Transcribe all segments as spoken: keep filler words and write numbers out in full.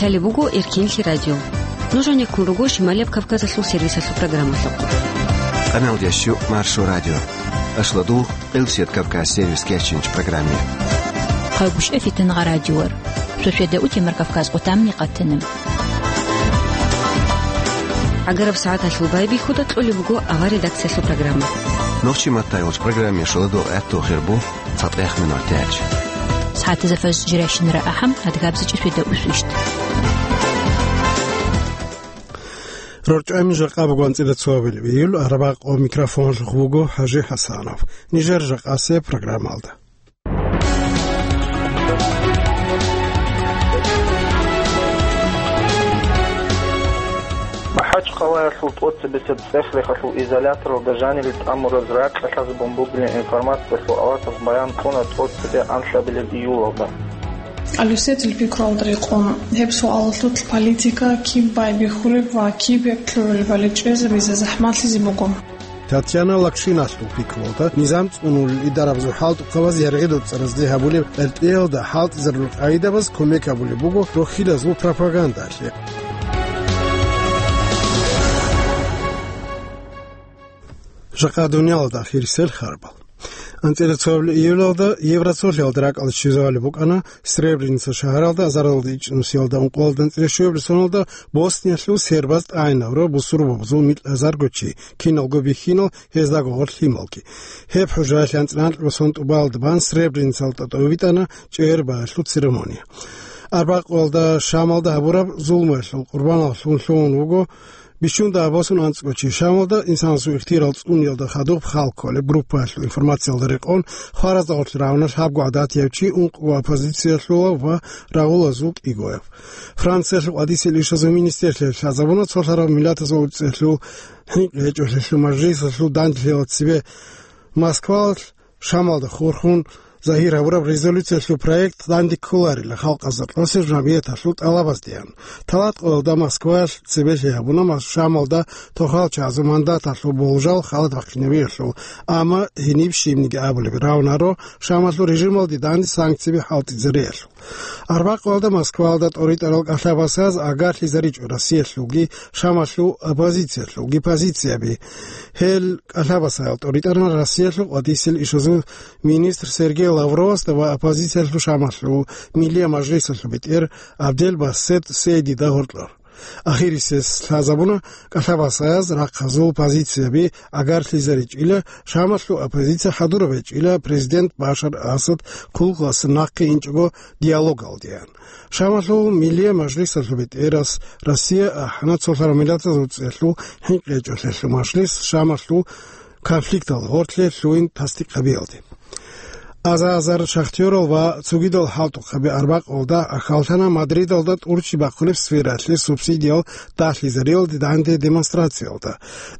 Лъалеб буго Эркенлъи радио. Нуж гьанеккун руго Шималияб Кавказалъул сервисалъул программалъухъ. Къаналдящу Маршо радио. Ашладу Къилсият Кавказ сервис кечинч программе. Хъагушев Фитнагъа радиор. Шошеда утемар Кавказ къутамни къатана. Агараб сагӀаталъул байбихьуда кьолеб буго авар редакциялъул программа. Нохчи маттайолч программе шоладо гӀатту хирбу. ЦатӀехъ минутач. СагӀатазда фажр жирайщинара ахӀам, адгабзичӀи шведа усвищт. РорчӀами жакъа буго анцӀила цоабилеб июль, арабакъо микрофонлъухъ буго ХӀажи ХӀасанов. Нижер жакъасе программалда. МахӀачхъалаялъул тӀоцебесеб цӀех-рехалъул изоляторалда жанире тӀамураз ракьалъазабун бугилан информациялъул аватаз баян кьуна тӀоцебе анлъабилеб июлалда. Алюсетил пикруялда рекъон, гьеб суалалъулъ политика киб байбихьулеб ва киб гьеб лъугӀулебали чӀезабизе захӀмалъизе буго. Татьяна Лакшиналъул пикруялда, низам цӀунулел идарабазул хӀалтӀухъабаз яргъи-доцӀаразде гьабулеб гӀертӀиялда хӀалтӀизарулел къагӀидабаз кумек гьабулеб буго рохьилазул пропагандалъе. Жакъа дуниялалда ахирисел харбал. АнцӀила цоабилеб июлалда Евроцолъиялда ракӀалде щвезабулеб букӀана Сребреница шагьаралда азаралда ичӀнусиялда ункъоялда анцӀила щуабилеб соналда Босниялъул сербаз тӀагӀинабураб бусурбабазул микьазарго чи, киналго бихьинал, гьездаго гъорлъ лъималги. Гьеб хӀужаялъе анцӀила анкьабилеб сон тӀубалда бан Сребреницалда тӀобитӀана чӀегӀер багьалъул церемония. Арбакъуялда Шамалда гьабураб зулмуялъул къурбаналлъун лъугьун вуго бищунда гьаб босун анцӀго чи. Шамалда инсанасул ихтияр цӀуниялда хадуб хал кколеб группаялъул информациялда рекъон, хваразда гъорлъ рагӀуна лъабго гӀадатияб чи, ункъго оппозициялъулав ва рагъулазул кӀигояб. Франциялъул къватӀисел ишазул министрлъиялъ лъазабуна цолъараб миллатазул уцӀцӀиялъул хӀинкъи гьечӀолъиялъул мажлисалъул данделъиялда цебе Москвалъ Шамалда хурхун загьир гьабураб резолюциялъул проект данде кколарила халкъазда кьосеб жамгӀияталъул тӀалабаздеян. Талат къоялда Москваялъ цебелъи гьабуна Мас-, Шамалда тохал чагӀазул мандаталъул болжал халат бахъинабиялъул, амма гьениб щибниги абулеб равнаро Шамалъул режималде данде санкциби хӀалтӀизариялъул. Арбакъуялда Москваялда тӀоритӀарал кӀалъабасаз агарлъизаричӀо Россиялъулги Шамалъул оппозициялъулги позицияби. Гьел кӀалъабасаял тӀоритӀаран Россиялъул къватӀисел ишазул министр Сергей Лавровасда ва оппозициялъул Шамалъул Миллия мажлисалъул бетӀер Абдел Басет Сейдида гьоркьор. Ахирисез лъазабуна кӀалъабасаяз рахъазул позицияби агарлъизаричӀила, Шамалъул оппозиция хӀадураб гьечӀила президент Башар Асад хъулухъалъа нахъе инчӀого диалогалдеян. Шамалъул Миллия мажлисалъул бетӀерас Россия ахӀана цолъараб миллатазул уцӀцӀиялъул хӀинкъи гьечӀолъиялъул мажлис Шамалъул конфликтал гъорлъе лъугьин тасдикъ гьабиялде. Аза-азар шахтёрал ва цогидал хӀалтӀухъаби арбакъалда ахӀаллъана Мадридалда тӀурчи бахъулеб сфераялъе субсидиял дагьлъизариялде данде демонстрациялда.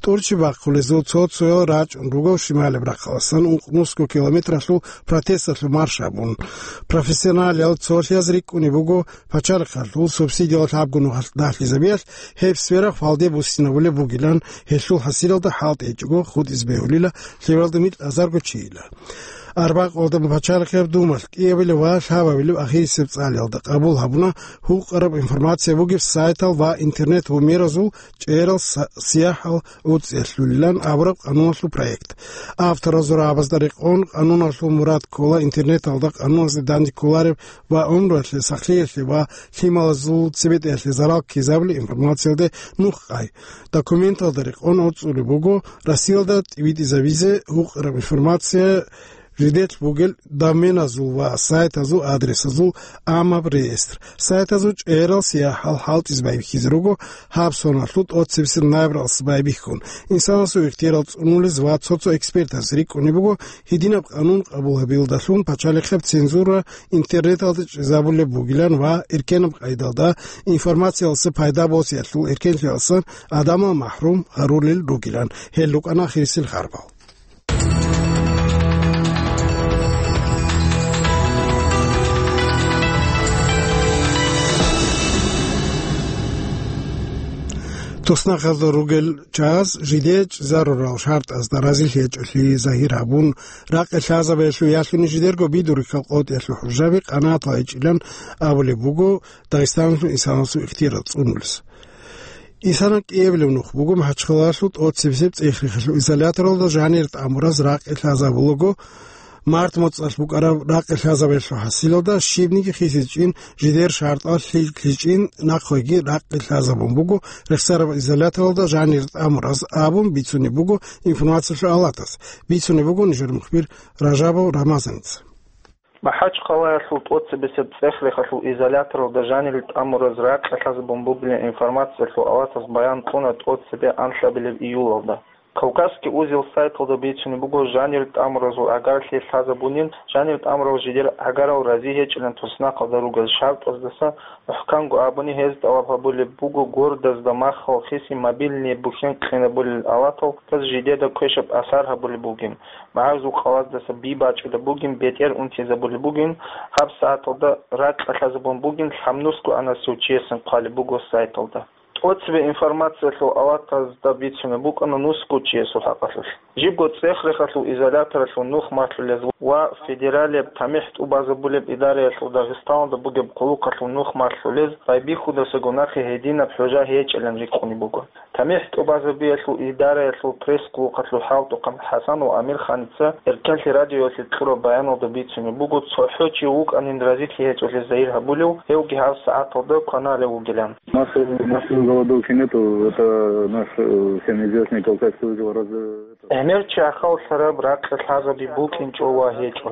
ТӀурчи бахъулезул цо-цоял рачӀун руго шималеб рахъаласан ункънусго километралъул протесталъул марш гьабун. Профессионалиял цолъияз рикӀкӀунеб буго пачалихъалъул субсидиял лъабго нухалъ дагьлъизабиялъ, гьеб сфера хвалде буссинабулеб бугилан, гьелъул хӀасилалда хӀалтӀи гьечӀого хутӀизе бегьулила лъебалда микьазарго чийила. Арбакъалда пачалихъеб думалъ кӀиабилеб ва лъабабилеб ахирисеб цӀалиялда къабул гьабуна гьукъараб информация бугеб сайтал ва интернет-гьумеразул чӀегӀерал са-, сияхӀал уцӀцӀиялъулилан абураб къануналъул проект. Авторазул рагӀабазда рекъон, къануналъул мурад ккола интернеталда къануналъе данде кколареб ва гӀумруялъе, сахлъиялъе ва лъималазул цебетӀеялъе зарал ккезабулеб информациялде нух къай. Документалда рекъон гӀорцӀулеб буго Россиялда тӀибитӀизабизе гьукъараб информация жидер бугел доменазул ва сайтазул адресазул гӀамаб реестр. Сайтазул чӀегӀерал сияхӀал хӀалтӀизе байбихьизе руго гьаб соналъул тӀоцебесеб ноябралдаса байбихьун. Инсанасул ихтиярал цӀунулез ва цо-цо экспертаз рикӀкӀунеб буго гьединаб къанун къабул гьабиялдалъун пачалихъеб цензура интернеталда чӀезабулеб бугилан ва эркенаб къайдалда информациялдаса пайда босиялъул эркенлъиялдасан гӀадамал махӀрум гьарулел ругилан. Гьел рукӀана ахирисел харбал. Туснахъалда ругел чагӀаз жидее чӀезарурал шартӀазда разилъи гьечӀолъи загьир гьабун, ракъи лъазабиялъул ялъуни жидерго бидурихьал къотӀиялъул хӀужаби къанагӀатал гьечӀилан абулеб буго Дагъистаналъул инсанасул ихтияр цӀунулес. Инсанал кӀиабилеб нух буго МахӀачхъалаялъул тӀоцебесеб цӀех-рехалъул изоляторалда жанир тӀамураз ракъи лъазабулаго, март моцӀалъ букӀараб ракъи лъазабиялъул хӀасилалда щибниги хисичӀин жидер шартӀал лъи-, лъичӀин нахъеги ракъи лъазабун буго рехсараб изоляторалда жанир тӀамураз абун бицунеб буго информациялъул авлатас, бицунеб буго нижер мухбир Ражабов Рамазаница. МахӀачхъалаялъул тӀоцебесеб цӀех-рехалъул изоляторалда жанир тӀамураз ракъи лъазабун бугилан информациялъул авлатас баян кьуна тӀоцебе анлъабилеб июлалда. Кавказский узел сайталда бицунеб буго жанир тӀамуразул гӀагарлъи лъазабунин, жанир тӀамурал жидер гӀагарал рази гьечӀилан туснахъалда ругел шартӀаздаса, мухӀканго абуни, гьез тӀалаб гьабулеб буго гордазда махал хиси мобильный бухӀен къинабулел авлатал, гьез жидеда квешаб асар гьабулеб бугин, магӀарзул къалаздаса би бачӀунеб бугин, бетӀер унтизабулеб бугин, гьаб сагӀаталда ракъи лъазабун бугин, лъабнусго анасев чиясин хъвалеб буго сайталда. ТӀоцебе информациялъул авлатазда бицунеб букӀана нусго чиясул хӀакъалъулъ. Жибго цӀех-рехалъул изоляторалъул нух малъулез ва федералияб тамихӀ тӀубазабулеб идараялъул Дагъистаналда бугеб хъулухъалъул нух малъулез байбихьудасаго нахъе гьединаб хӀужа гьечӀилан рикӀкӀунеб буго. ТамихӀ тӀубазабиялъул идараялъул пресс-хъулухъалъул хӀалтӀухъан ХӀасанов Амирханица Эркенлъи радиоялъе кьураб баяналда бицунеб буго, цохӀо чи вукӀанин разилъи гьечӀолъи загьир гьабулев, гьевги гьаб сагӀаталда кваналев вугилан. Массовой, массовой голодовки нету, это наш, э, всем известный Кавказский узел раз-, это. ГӀемер чи ахаллъараб ракъи лъазаби букӀинчӀо ва гьечӀо.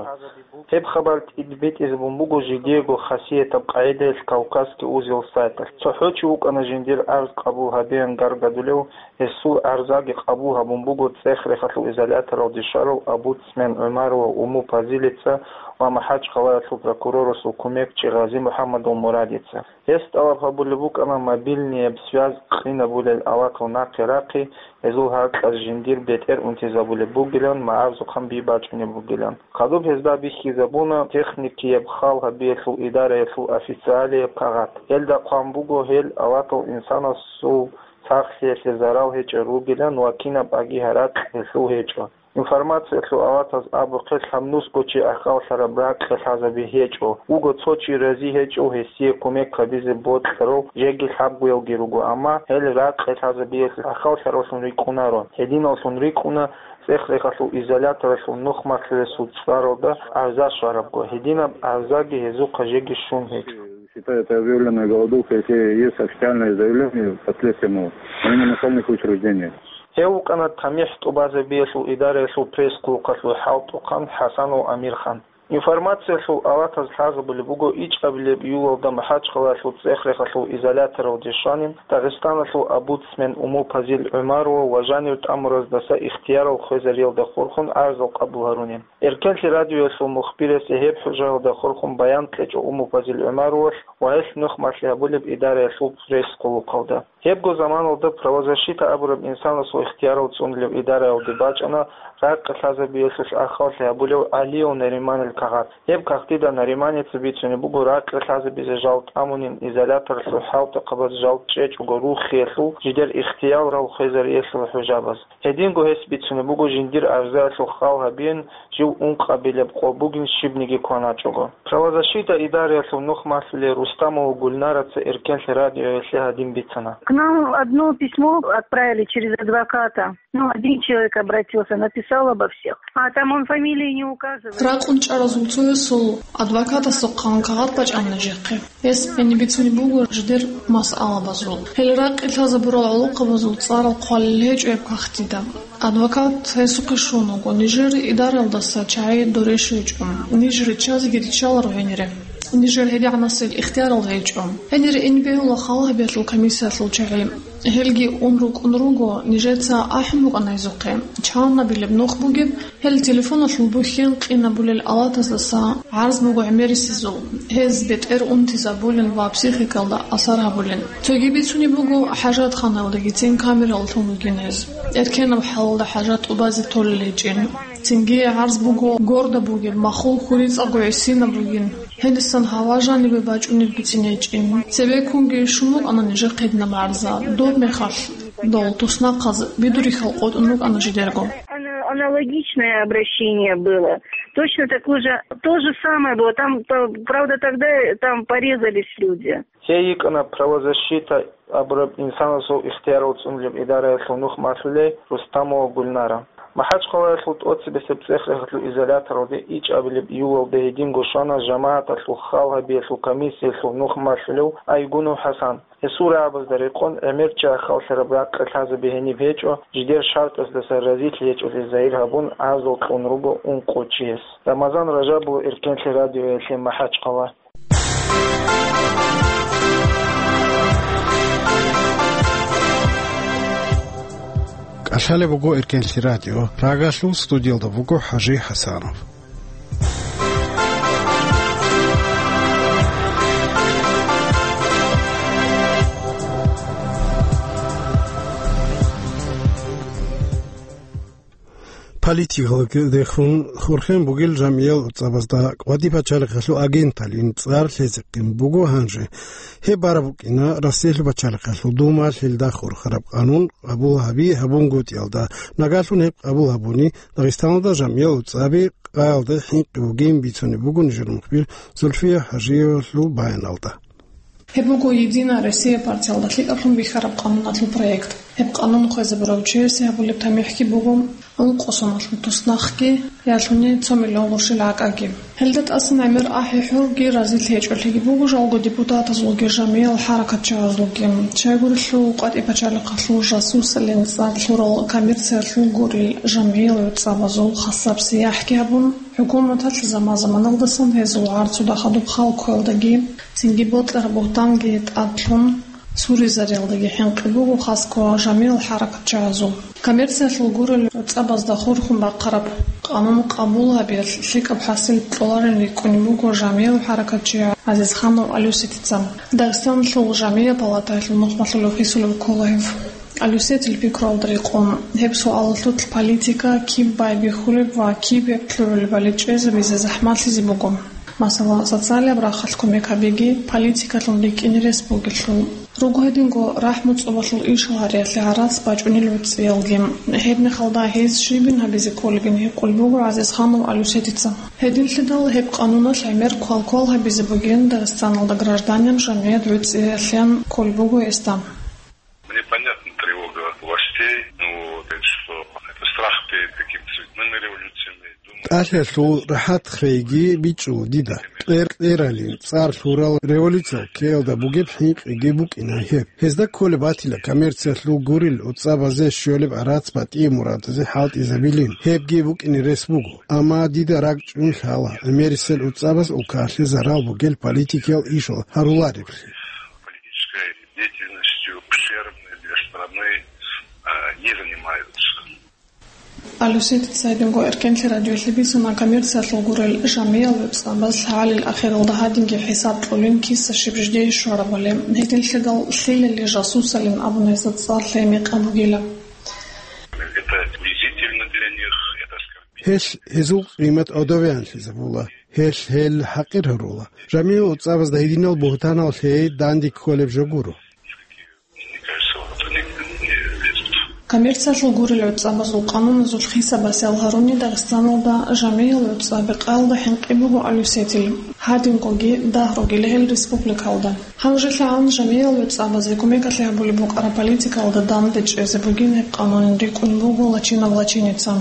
Гьеб хабар тӀибитӀизабун буго жидеего хасиятаб къагӀидаялъ Кавказский узел сайталъ. ЦохӀо чи вукӀана жиндир арз къабул гьабеян гаргадулев, гьесул арзаги къабул гьабун буго цӀех-рехалъул изоляторалде щварав омбудсмен ГӀумарова Уму Пазилица ва МахӀачхъалаялъул прокурорасул кумекчи Гъази МухӀаммадов Мурадица. Гьес тӀалаб гьабулеб букӀана мобильнияб связь къинабулел авлатал нахъе рахъи, гьезул гьаркьаз жиндир бетӀер унтизабулеб бугилан, магӀарзухъан би бачӀунеб бугилан. Хадуб гьезда бихьизабуна техникияб хал гьабиялъул идараялъул официалияб кагъат. Гьелда хъван буго, гьел авлатал инсанасул сахлъиялъе зарал гьечӀел ругилан ва кинаб аги гьаракь гьелъул гьечӀо. Информациялъул авлатаз абухъе, лъабнусго чи ахаллъараб ракъи лъазаби гьечӀо, вуго цо чи рази гьечӀев гьесие кумек гьабизе бокьарав жеги лъабгоялги руго, амма гьел ракъи лъазабиялъе ахаллъаравлъун рикӀкӀунаро. Гьединаллъун рикӀкӀуна цӀех-рехалъул изоляторалъул нух малъулесул цӀаралда арза щварабго, гьединаб арзаги гьезухъа жеги щун гьечӀо. Считаю это объявленной голодовкой, если есть официальное заявление, впоследствии, ну, именно начальных учреждений. Гьев вукӀана тамихӀ тӀубазабиялъул идараялъул пресс-хъулухъалъул хӀалтӀухъан ХӀасанов Амирхан. Информациялъул авлатаз лъазабулеб буго ичӀабилеб июлалда МахӀачхъалаялъул цӀех-рехалъул изоляторалде щванин Дагъистаналъул омбудсмен Уму Пазил ГӀумарова ва жанир тӀамураздаса ихтиярал хвезариялда хурхун арзал къабул гьарунин. Эркенлъи радиоялъул мухбирасе гьеб хӀужаялда хурхун баян кьечӀо Уму Пазил ГӀумаровалъ ва гьелъ нух малъи гьабулеб идараялъул пресс-хъулухъалда. Гьебго заманалда правозащита абураб инсанасул ихтиярал цӀунулев идараялде бачӀана ракъи лъазабиялъулъ ахаллъи гьабулев ГӀалиев Нариманил кагъат. Гьеб кагътида Нариманица бицунеб буго ракъи лъазабизе жал тӀамунин изоляторлъул хӀалтӀухъабаз жал чӀечӀого рухиялъул жидер ихтиярал хвезариялъул хӀужабаз. Гьединго гьес бицунеб буго жиндир арзаялъул хал гьабиин, жив ункъабилеб къо бугин щибниги кваначӀого. Правозащита идараялъул нух малъулел Рустамова Гульнараца Эркенлъи радиоялъе гьадин бицана. К нам одно письмо отправили через адвоката. Ну, один человек обратился, написал обо всех. А там он фамилии не указывает. Ракъун чӀаразул цоясул адвокатасухъан кагъат бачӀана нижехъе. Гьес гьениб бицунеб буго жидер масъалабазул. Гьел ракъи лъазабурал гӀолохъабазул цӀарал хъвалел гьечӀо гьеб кагътида. Адвокат гьесухъе щун вуго, нижер идараялдаса чагӀи дурещвечӀо. Ниж риччазеги риччаларо гьенире. Нижер гьедигӀанасел ихтиярал гьечӀо. Гьенире ин бегьула хал гьабиялъул комиссиялъул чагӀи. Гьелги ун рукӀун руго, нижеца ахӀун букӀана гьезухъе. Чанабилеб нух бугеб, гьел телефоналъул бухьен къинабулел авлатаздаса гӀарз буго гӀемерисезул, гьез бетӀер унтизабулин ва психикалда асар гьабулин. Цоги бицунеб буго, хӀажатханалдагицин камераллъун ругин гьез. Эркенаб хӀалалда хӀажат тӀубазе толел гьечӀин. Цинги гӀарз буго горда бугеб, махул хьурицӀаго гӀисинаб бугин. Гьедисан гьава жанибе бачӀунеб бицин гьечӀин. Цебеккунги щун букӀана нижехъе гьединаб гӀарза. Доб мехалъ Дол туснахъаз бидурихьал къотӀун рукӀана жидерго. Ана-, аналогичное обращение было. Точно такое же, то же самое было. Там, п-, правда, тогда там порезались люди. Гьей йикӀана правозащита абураб инсанасул ихтиярал цӀунулеб идараялъул нух малъулей Рустамова Гульнара. МахӀачхъалаялъул тӀоцебесеб цӀех-цӀехалъул изоляторалде ичӀабилеб июлалда гьединго щвана жамагӀаталъул хал гьабиялъул комиссиялъул нух малъулев Айгунов ХӀасан. Гьесул рагӀабазда рекъон, гӀемер чи ахаллъараб ракъи лъазабе гьениб гьечӀо, жидер шартӀаздаса разилъи гьечӀолъи загьир гьабун, гӀазал кьун руго ункъо чияс. Рамазан Ражабов, Эркенлъи радиоялъе, МахӀачхъала. КӀалъалеб буго Эркенлъи радио. Рагалъул студиялда буго ХӀажи ХӀасанов. Политикалдехун хурхен бугел жамиял уцӀабазда кӀвади пачалихъалъул агенталин цӀар лъезехъин буго гьанже. Гьеб бараб букӀина Россиялъул пачалихъалъул Думалъ гьелда хурхараб къанун къабул гьаби гьабунгутӀиялда. Нагалъун гьеб къабул гьабуни, Дагъистаналда жамиял уцӀаби къаялда хӀинкъи бугин бицунеб буго нижер мухбир Зульфия ХӀажиевалъул баяналда. Гьеб буго «Единая Россия» партиялда лъикӀаблъун бихьараб къануналъул проект. Гьеб къанун хвезабурав чиясе гьабулеб тамихӀги буго ункъо соналъул туснахъги, ялъуни цо миллион гъурщил гӀакӀаги. Гьелда тӀасан гӀемер ахӀи-хӀурги разилъи гьечӀолъиги буго жалго депутатазулги жамиял хӀаракатчагӀазулги. Щайгурелъул къватӀи пачалихъалъул жасусалин цӀар лъурал коммерциялъул гурел жамиял уцӀабазул хасаб сияхӀги гьабун, ХӀукуматалъ заман-заманалдасан гьезул гӀарцуда хадуб хал кквелдаги, цинги бокьараб бугьтанги тӀадлъун, суризариялдаги хӀинкъи буго хасго жамиял хӀаракатчагӀазул. Коммерциялъул гурел уцӀабазда хурхун бахъараб къанун къабул гьабиялъ лъикӀаб хӀасил кьоларин рикӀкӀунеб буго жамиял хӀаракатчи ГӀазизханов Алюсетица. Дагъистаналъул жамиял палатаялъул нухмалъулев хисулев ккола гьев. Алюсетил пикруялда рекъон, гьеб суалалъулъ политика киб байбихьулеб ва киб гьеб лъугӀулебали чӀезабизе захӀмалъизе буго. Масала, социалияб рахъалъ кумек гьабиги политикалъун рикӀкӀине рес бугелъул. Руго гьединго рахӀму цӀобалъул ишал гьариялъе гӀарац бачӀунел гӀуцӀиялги. Гьеб мехалда гьез щибин гьабизе кколебин гьикъулеб буго ГӀазизханов Алюсетица. Гьединлъидал гьеб къануналъ гӀемер квал-квал гьабизе бугин Дагъистаналда гражданин жамият гӀуцӀиялъян кколеб буго гьесда. Мне понятна тревога властей, ну, вот, это что, это страх перед какими-то цветными революциями. ТӀалъиялъул рахӀат хвейги бичӀчӀула дида. Кьер-кьералин цӀар лъурал революциялъ ккеялда бугеб хӀинкъиги букӀина гьеб. Гьезда кколеб батила коммерциялъул гурел уцӀабазе щолеб гӀарац батӀие мурадазе хӀалтӀизабилин. Гьебги букӀине рес буго. Амма дида ракӀчӀун лъала, гӀемерисел уцӀабаз улкалъе зарал бугел политикиял ишал гьарулареблъи. Политической деятельностью ущербной для страны, а, не занимаются. Алюсетица гьединго Эркенлъи радиоялъе бицана коммерциялъул гурел жамиял уцӀабаз лъагӀалил ахиралда гьадинги хӀисаб кьолин киса щиб жидее щварабали. Гьединлъидал лъилали жасусалин абуна гьезда цӀар лъей мекъаб бугила. Это унизительно для них, это оскорбительно. Гьелъ гьезул къимат гӀодове анлъизабула, гьелъ гьел хӀакъир гьарула. Жамиял уцӀабазда гьединал бугьтанал лъей данде кколеб жо гуро. Мне кажется, вот они не лезут. Коммерциялъул гурел уцӀабазул къануназул хисаб-басиал гьаруни Дагъистаналда жамиял уцӀаби къаялда хӀинкъи буго Алюсетил, гьадингоги дагь ругел гьел республикалда. ГьанжелъагӀан жамиял уцӀабазе кумекалъе гьабулеб букӀараб политикалда данде чӀезе бугин гьеб къанунин рикӀкӀунеб буго Лачинов Лачиница.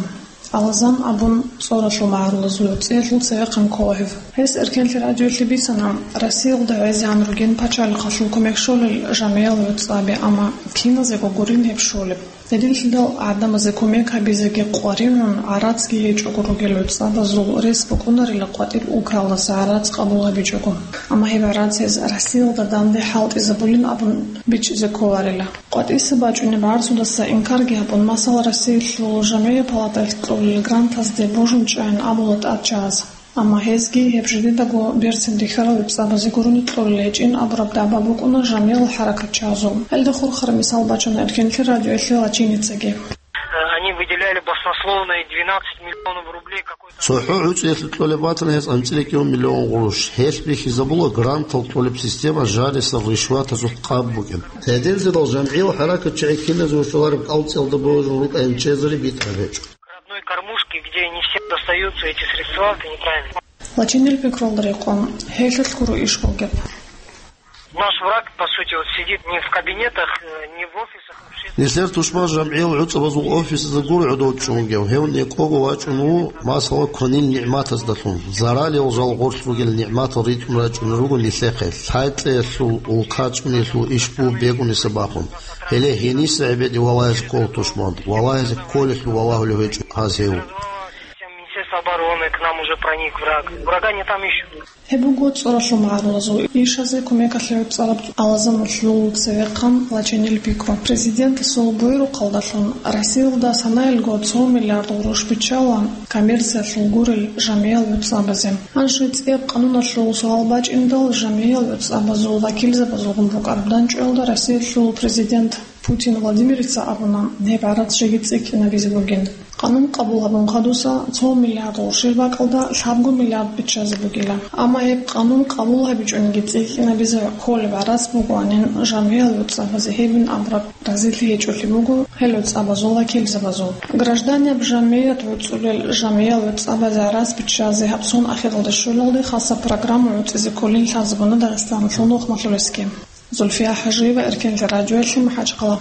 Алазан абун цӀоралъул магӀарулазул гӀуцӀиялъул цевехъан ккола гьев. Гьес Эркенлъи радиоялъе бицана, Россиялда гӀезегӀан ругин пачалихъалъул кумек щолел жамиял уцӀаби, амма киназего гурин гьеб щолеб. Гьединлъидал гӀадамазе кумек гьабизеги къваригӀун, гӀарацги гьечӀого ругел уцӀабазул рес букӀунарила къватӀиб улкалдаса гӀарац къабул гьабичӀого. Амма гьеб гӀарац гьез Россиялда данде хӀалтӀизабулин абун бичӀчӀизе кколарила. КъватӀиса бачӀунеб гӀарцудаса инкарги гьабун, масала, Россиялъул жамгӀияб палатаялъ кьолел грантазде божун чӀайин абула тӀадчагӀаз. Амма гьезги гьеб жидедаго берцин рихьарал уцӀабазе гурони кьолел гьечӀин абураб дагӀба букӀуна жамгӀиял хӀаракатчагӀазул. Гьелда хурхараб мисал бачуна Эркенлъи радиоялъе Лачиницаги. Они Они выделяли баснословные двенадцать миллионов рублей какой-то. ЦохӀо гӀуцӀиялъе кьолеб батана гьез анцӀила кӀиго миллион гъурущ. Гьелъ бихьизабула грантал кьолеб система жаниса ришватазул къаб букӀин. Гьединлъидал жамгӀиял хӀаракатчагӀи киназего щолареб кӀалцӀиялда божун рукӀайин чӀезари битӀараб гьечӀо. К родной кормушке, где не всем достаются эти средства, это неправильно. Лачинил пикрулда рекъон, гьелъулъ гуро иш бугеб. Наш враг, по сути, вот сидит не в кабинетах, э, не в офисах общественных. Нилъер тушман жамгӀиял гӀуцӀабазул офисазда гуро гӀодов чӀунгев, гьев некӀого вачӀун ву, масала, кванил нигӀматаздалъун. Заралиял жал гъорлъ ругел нигӀматал ритӀун рачӀунел руго нилъехъе, лъай-кьеялъул, улка чӀунелъул иш бугеб бегуниса бахун. Гьеле гьениса гӀебеде валагьизе ккола тушман, валагьизе кколелъул валагьулев гьечӀо гьаз гьев. Министерство обороны, к нам уже проник враг. Врага не там ищут. Гьеб буго цӀоралъул магӀарулазул ишазе кумекалъе гӀуцӀараб Алазаматлъул цевехъан лачинил пикру. Президентасул буйрухъалдалъун Россиялда санаялго цо миллиард гъурущ биччала коммерциялъул гурел жамгӀиял гӀуцӀабазе. Гьанже цӀияб къануналъул суал бачӀиндал, жамгӀиял гӀуцӀабазул вакилзабазулгун букӀараб данчӀвалда Россиялъул президент Путин Владимирица абуна, гьеб гӀарац жеги цӀикӀкӀинабизе бугин. Къанун къабул гьабун хадуса, цо миллиард гъурущил бакӀалда лъабго миллиард биччазе бугила. Амма гьеб къанун къабул гьабичӀониги цӀикӀкӀинабизе кколеб гӀарац бугоанин, жамгӀиял гӀуцӀабазе гьебин абураб разилъи гьечӀолъи буго гьел гӀуцӀабазул вакилзабазул. Гражданиял жамгӀият гӀуцӀулел жамгӀиял гӀуцӀабазе гӀарац биччазе гьаб сон ахиралда щолалде хасаб программа гӀуцӀизе кколин лъазабуна Дагъистаналъул нухмалъулесги. Зульфия Хажиева, Эркенлъи радиоялъе, МахӀачхъала.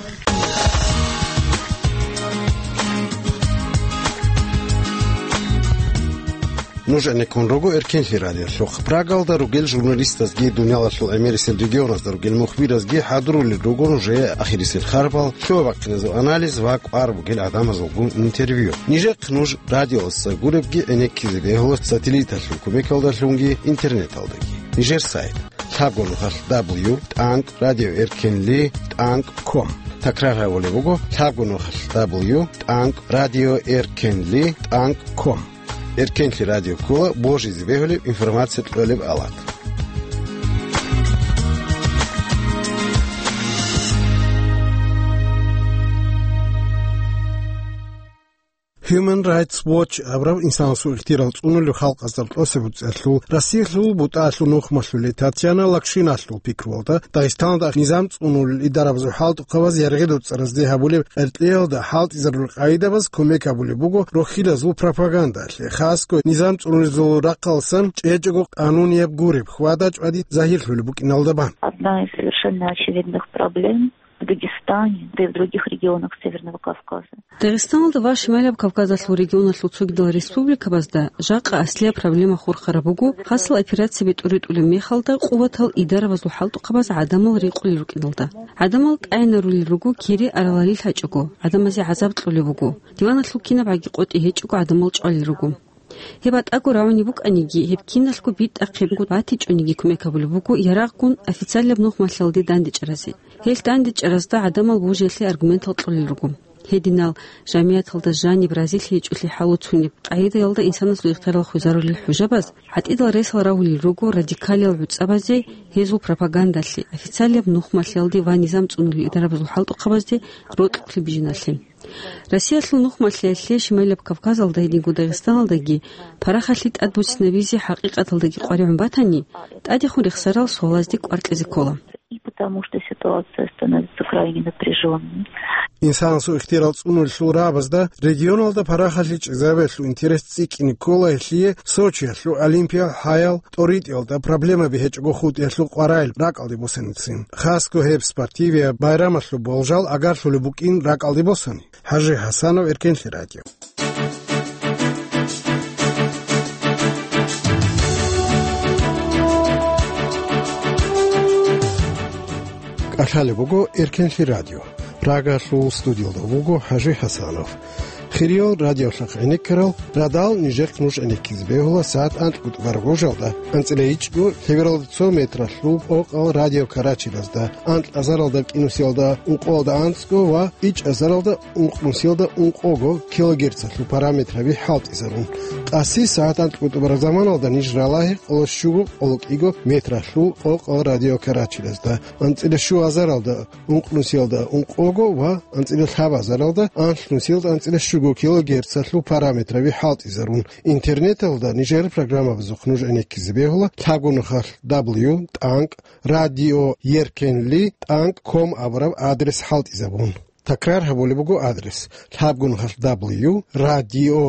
Нуж гӀенеккун руго Эркенлъи радиолъухъ. Прагалда ругел журналистазги, дуниялалъул гӀемерисел регионазда ругел мухбиразги хӀадурулел руго нужее ахирисел харбал, лъугьа-бахъиназул анализ ва кӀвар бугел гӀадамазулгун интервью. Нижехъ нуж радиоялдаса гуребги гӀенеккизе бегьула сателлиталъул кумекалдалъунги интернеталдаги. Нижер сайт: лъабго нухалъ дабл ю тӀанкӀ радио эркенли тӀанкӀ ком. Такрар гьабулеб буго: лъабго нухалъ дабл ю тӀанкӀ радио эркенли тӀанкӀ ком. Эркенлъи радио ккола божизе бегьулеб информация кьолеб алат. Human Rights Watch абураб инсанасул ихтияр цӀунулев халкъазда тӀоцебе буцӀцӀиялъул Россиялъул бутӀаялъул нухмалъулей Татьяна Лакшиналъул пикруялда, Дагъистаналда низам цӀунулел идарабазул хӀалтӀухъабаз яргъи доцӀцӀаразде гьабулеб къеркьиялда хӀалтӀизарулел къагӀидабаз кумек гьабулеб буго рохьилазул пропагандалъе, хасго низам цӀунулезул рахъалсан чӀечӀого къанунияб гуреб хьвада-чӀвади загьирлъулеб букӀиналда бан. Одна из совершенно очевидных проблем в Дагестане, да и в других регионах Северного Кавказа. Дагъистаналда ва Шималаб Кавказалъул регионалъул цогидал республикабазда жакъа аслияб проблема хурхараб буго, хасал операцияби тӀуритӀулеб мехалда къуватал идарабазул хӀалтӀухъабаз гӀадамал рекъулел рукӀиналда. ГӀадамал тӀагӀинарулел руго, кири аралалил гьачӀого, гӀадамазе гӀазаб кьолеб буго. Диваналъул кинабгӀаги къотӀи гьечӀого гӀадамал чӀвалел руго. Гьеб батӀаго рагӀунеб букӀаниги, гьеб киналъго битӀахъе буго, батичӀониги кумек гьабулеб буго ярагъгун официалияб нухмалъиялде дандечӀаразе. Гьелъ дандечӀаразда гӀадамал божиялъе аргументал кьолел руго. Гьединал жамигӀаталда жаниб разилъи гьечӀолъи хӀалуцунеб къагӀидаялда инсанасул ихтиярал хвезарулел хӀужабаз гӀатӀидал ресал рагьулел руго радикалиял гӀуцӀабазе, гьезул пропагандалъе, официалияб нухмалъиялде ва низам цӀунулел идарабазул хӀалтӀухъабазде рокьукълъи бижиналъе. Россиялъул нухмалъиялъе Шималаб Кавказалда гьединго Дагъистаналдаги парахалъи тӀадбуссинабизе хӀакъикъаталдаги къваригӀун батани, тӀадехун рехсарал суалазде кӀвар кьезе ккола. И потому что ситуация становится крайне напряжённой. Инсанасул ихтиярал цӀунулелъул рагӀабазда регионалда парахалъи чӀезабиялъул интерес цӀикӀкӀине ккола гьелъие Сочиялъул Олимпиял гьаял тӀоритӀиялда проблемаби гьечӀого хутӀиялъул къваригӀел ракӀалде босаницин. Хасго гьеб спортивияб байрамалъул болжал агарлъулеб букӀин ракӀалде босани. ХӀажи ХӀасанов, Эркенлъи радио. КӀалъалеб буго Эркенлъи радио. Прагалъул студиялда вуго ХӀажи ХӀасанов. Хириял радиолъахъ гӀенеккарал, радал нижехъ нуж гӀенеккизе бегьула сагӀат анкьго тӀубараб гъужалда, анцӀила ичӀго лъебералда цо метралъул къокъал радио Карачилазда, анкь азаралда кӀинусиялда ункъоялда анцӀго ва ичӀ азаралда ункънусиялда ункъого килогерцалъул параметраби хӀалтӀизарун. Къаси сагӀат анкьго тӀубараб заманалда ниж ралагье къоло щуго къоло кӀиго метралъул къокъал радио Карачилазда, анцӀила щу азаралда ункънусиялда ункъого ва анцӀила лъабазаралда анлънусиялда анцӀила щуго килогерцалъул параметраби хӀалтӀизарун. Интернеталда нижер программабазухъ нуж гӀенеккизе бегьула лъабгунахъалъ дабл ю тӀанкӀ радио еркенли тӀанкӀ ком абураб адрес хӀалтӀизабун. Такрар гьабулеб буго адрес: лъабгунахъалъ дабл ю радио